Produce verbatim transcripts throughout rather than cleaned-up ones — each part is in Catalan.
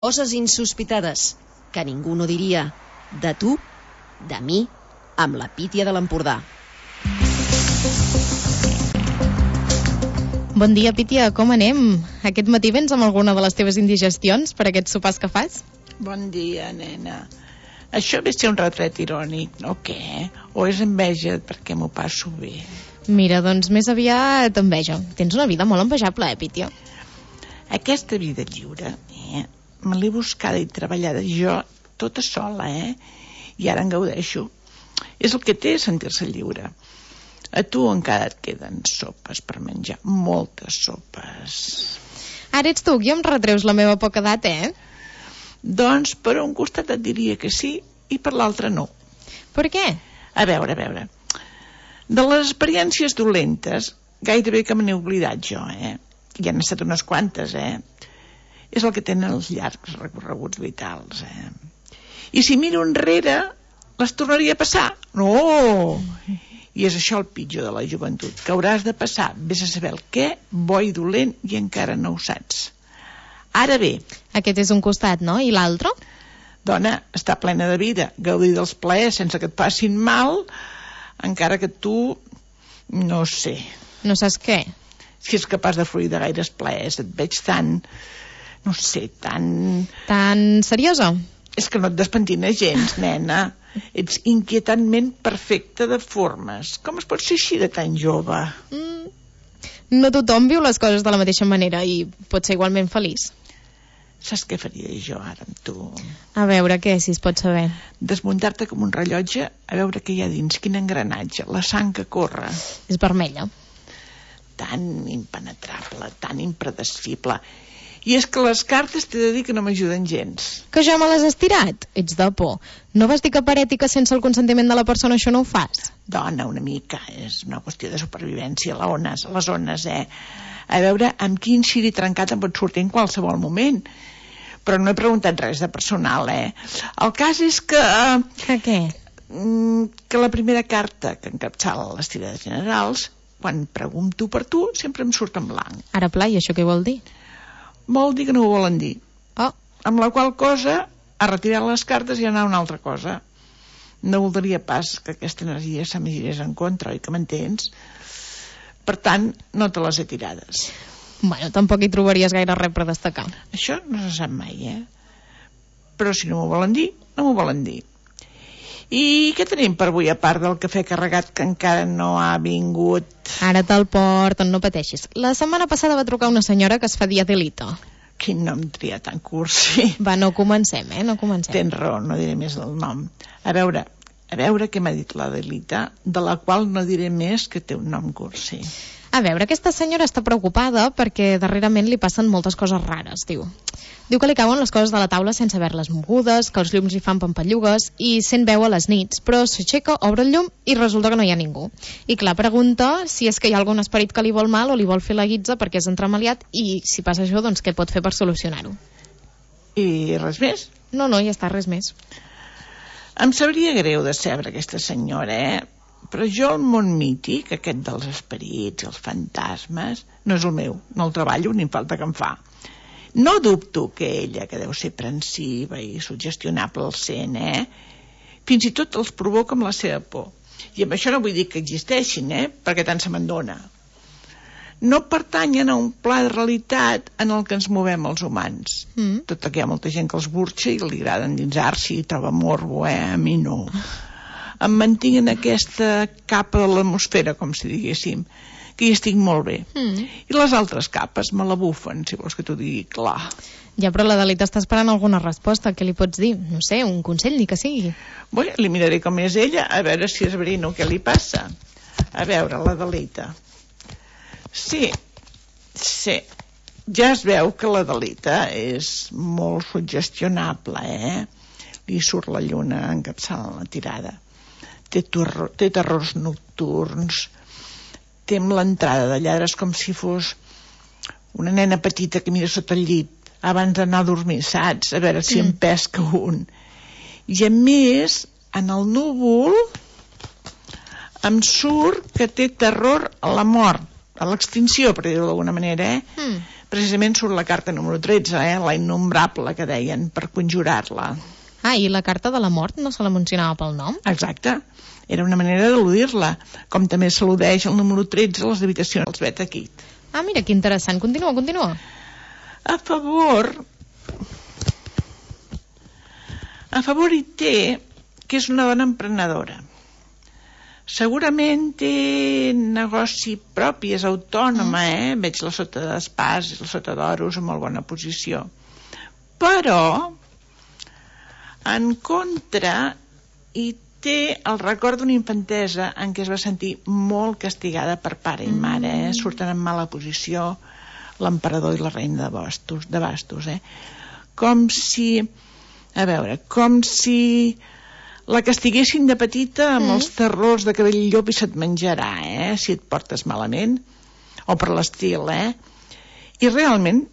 Coses insospitades que ningú no diria. De tu, de mi, amb la Pítia de l'Empordà. Bon dia, Pítia, com anem? Aquest matí vens amb alguna de les teves indigestions per aquests sopars que fas? Bon dia, nena. Això ve ser un retret irònic, o què? O és enveja perquè m'ho passo bé? Mira, doncs més aviat enveja. Tens una vida molt envejable, eh, Pítia? Aquesta vida lliure, eh? Me l'he buscada i treballada jo tota sola, eh? I ara en gaudeixo. És el que té sentir-se lliure. A tu encara et queden sopes per menjar, moltes sopes. Ara ets tu qui em retreus la meva poca edat, eh? Doncs per un costat et diria que sí i per l'altre no. Per què? A veure, a veure. De les experiències dolentes, gairebé que me n'he oblidat jo, eh? Hi han estat unes quantes, eh? És el que tenen els llargs recorreguts vitals, eh? I si miro enrere, les tornaria a passar? No! I és això el pitjor de la joventut, que hauràs de passar, vés a saber el què, bo i dolent, i encara no ho saps. Ara bé... Aquest és un costat, no? I l'altre? Dona, està plena de vida, gaudir dels plaers sense que et passin mal, encara que tu... no sé... No saps què? Si és capaç de fruir de gaires plaers, et veig tan... no sé, tan... Tan seriosa? És que no et despentina gens, nena. Ets inquietantment perfecta de formes. Com es pot ser així de tan jove? Mm. No tothom viu les coses de la mateixa manera i pot ser igualment feliç. Saps què faria jo ara amb tu? A veure, què, si es pot saber? Desmuntar-te com un rellotge a veure què hi ha dins, quin engranatge, la sang que corre. És vermella. Tan impenetrable, tan impredecible... I és que les cartes t'he de dir que no m'ajuden gens. Que jo me les has tirat? Ets de por. No vas dir que per ètica sense el consentiment de la persona això no ho fas? Dona, una mica. És una qüestió de supervivència. Les ones, les ones, eh? A veure, amb quin xiri trencat em pot sortir en qualsevol moment. Però no he preguntat res de personal, eh? El cas és que... Que què? Que la primera carta que encapçala les tirades generals, quan pregunto per tu, sempre em surt en blanc. Ara pla, i això què vol dir? Vol dir que no ho volen dir. Oh. Amb la qual cosa, a retirar les cartes i anar a una altra cosa. No voldria pas que aquesta energia se m'hi girés en contra, oi que m'entens? Per tant, no te les he tirades. Bueno, tampoc hi trobaries gaire res per destacar. Això no se sap mai, eh? Però si no m'ho volen dir, no m'ho volen dir. I què tenim per avui, a part del cafè carregat que encara no ha vingut? Ara te'l porten, no pateixis. La setmana passada va trucar una senyora que es fa dir Adelita. Quin nom tria tan cursi. Va, no comencem, eh? No comencem. Tens raó, no diré més el nom. A veure, a veure què m'ha dit l'Adelita, de la qual no diré més que té un nom cursi. A veure, aquesta senyora està preocupada perquè darrerament li passen moltes coses rares, diu. Diu que li cauen les coses de la taula sense haver-les mogudes, que els llums hi fan pampallugues i sent veu a les nits, però s'aixeca, obre el llum i resulta que no hi ha ningú. I clar, pregunta si és que hi ha algun esperit que li vol mal o li vol fer la guitza perquè és entremaliat i si passa això, doncs què pot fer per solucionar-ho? I res més? No, no, ja està, res més. Em sabria greu decebre aquesta senyora, eh? Però jo el món mític, aquest dels esperits, els fantasmes, no és el meu, no el treballo ni falta que em fa. No dubto que ella, que deu ser prensiva i suggestionable al sent, eh? Fins i tot els provoca amb la seva por. I amb això no vull dir que existeixin, eh? Perquè tant se me'n dona. No pertanyen a un pla de realitat en el que ens movem els humans. Mm. Tot i que hi ha molta gent que els burxa i li agrada endinsar-s'hi i troba morbo, eh? A mi no. Em mantinc en aquesta capa de l'atmosfera, com si diguéssim, que hi estic molt bé. Mm. I les altres capes me la bufen, si vols que t'ho digui clar. Ja, però l'Adelita està esperant alguna resposta. Què li pots dir? No sé, un consell, ni que sigui. Bé, li miraré com és ella, a veure si és verino què li passa. A veure, l'Adelita. Sí, sí. Ja es veu que l'Adelita és molt suggestionable, eh? Li surt la lluna encapçalant la tirada. Té, terror, té terrors nocturns, té amb l'entrada de lladres com si fos una nena petita que mira sota el llit abans d'anar a dormir, saps? A veure si mm. en pesca un. I a més, en el núvol em surt que té terror a la mort, a l'extinció, per dir-ho d'alguna manera, eh? Mm. precisament surt la carta número tretze, eh? La innombrable, que deien, per conjurar-la. Ah, i la carta de la mort no se la mencionava pel nom? Exacte. Era una manera d'eludir-la, com també s'eludeix el número tretze a les habitacions dels Beta Kid. Ah, mira, que interessant. Continua, continua. A favor... A favor hi té que és una dona emprenedora. Segurament té negoci propi, és autònoma, eh? Veig la sota d'Espàs i la sota d'Oros en molt bona posició. Però, en contra, hi té el record d'una infantesa en què es va sentir molt castigada per pare i mare, eh? Surten en mala posició l'emperador i la reina de bastos, de bastos, eh? Com si, a veure, com si la castiguessin de petita amb mm. els terrors de que ve el llop i se't menjarà, eh? Si et portes malament, o per l'estil, eh? I realment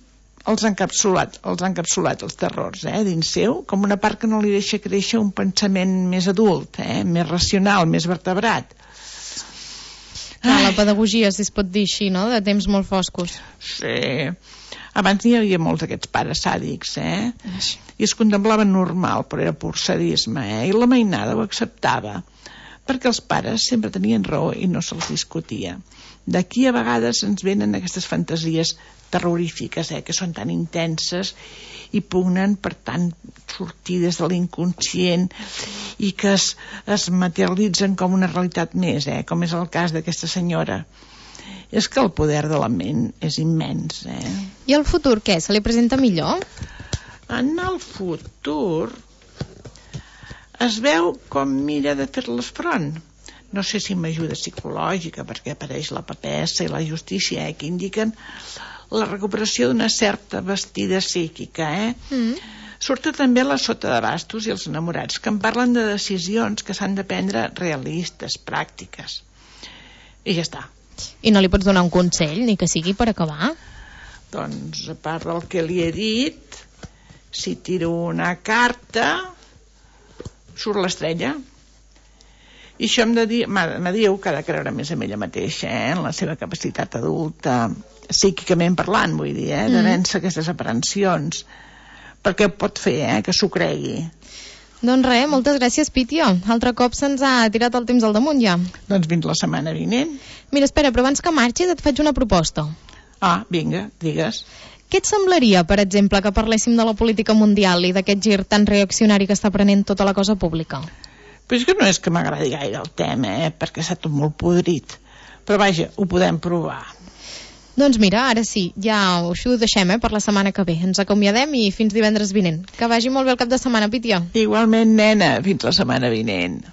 els ha encapsulat, els ha encapsulat els terrors, eh? Dins seu, com una part que no li deixa créixer un pensament més adult, eh? Més racional, més vertebrat. Ah, la pedagogia, si es pot dir així, no? De temps molt foscos. Sí. Abans n'hi havia molts d'aquests pares sàdics, eh? I es contemplava normal, però era pur sadisme, eh? I la mainada ho acceptava, perquè els pares sempre tenien raó i no se'ls discutia. D'aquí a vegades ens venen aquestes fantasies terrorífiques, eh? Que són tan intenses i pugnen per tant sortir des de l'inconscient i que es, es materialitzen com una realitat més, eh? Com és el cas d'aquesta senyora. És que el poder de la ment és immens, eh? I el futur, què? Se li presenta millor? En el futur es veu com mira de fer-les front. No sé si m'ajuda psicològica, perquè apareix la papessa i la justícia, eh, que indiquen la recuperació d'una certa vestida psíquica, eh? Mm. Surta també la sota de bastos i els enamorats, que en parlen de decisions que s'han de prendre realistes, pràctiques. I ja està. I no li pots donar un consell, ni que sigui per acabar? Doncs, a part del que li he dit, si tiro una carta, surt l'estrella. I això em de dir, me diu que ha de creure més en ella mateixa, eh? En la seva capacitat adulta, psíquicament parlant, vull dir, eh? De vèncer aquestes aprensions. Perquè pot fer, eh? Que s'ho cregui. Doncs res, moltes gràcies, Pítia. Altre cop se'ns ha tirat el temps al damunt ja. Doncs fins la setmana vinent. Mira, espera, però abans que marxis et faig una proposta. Ah, vinga, digues. Què et semblaria, per exemple, que parléssim de la política mundial i d'aquest gir tan reaccionari que està prenent tota la cosa pública? Però és que no és que m'agradi gaire el tema, eh? Perquè està tot molt podrit. Però vaja, ho podem provar. Doncs mira, ara sí, ja això ho deixem, eh, per la setmana que ve. Ens acomiadem i fins divendres vinent. Que vagi molt bé el cap de setmana, Pítia. Igualment, nena, fins la setmana vinent.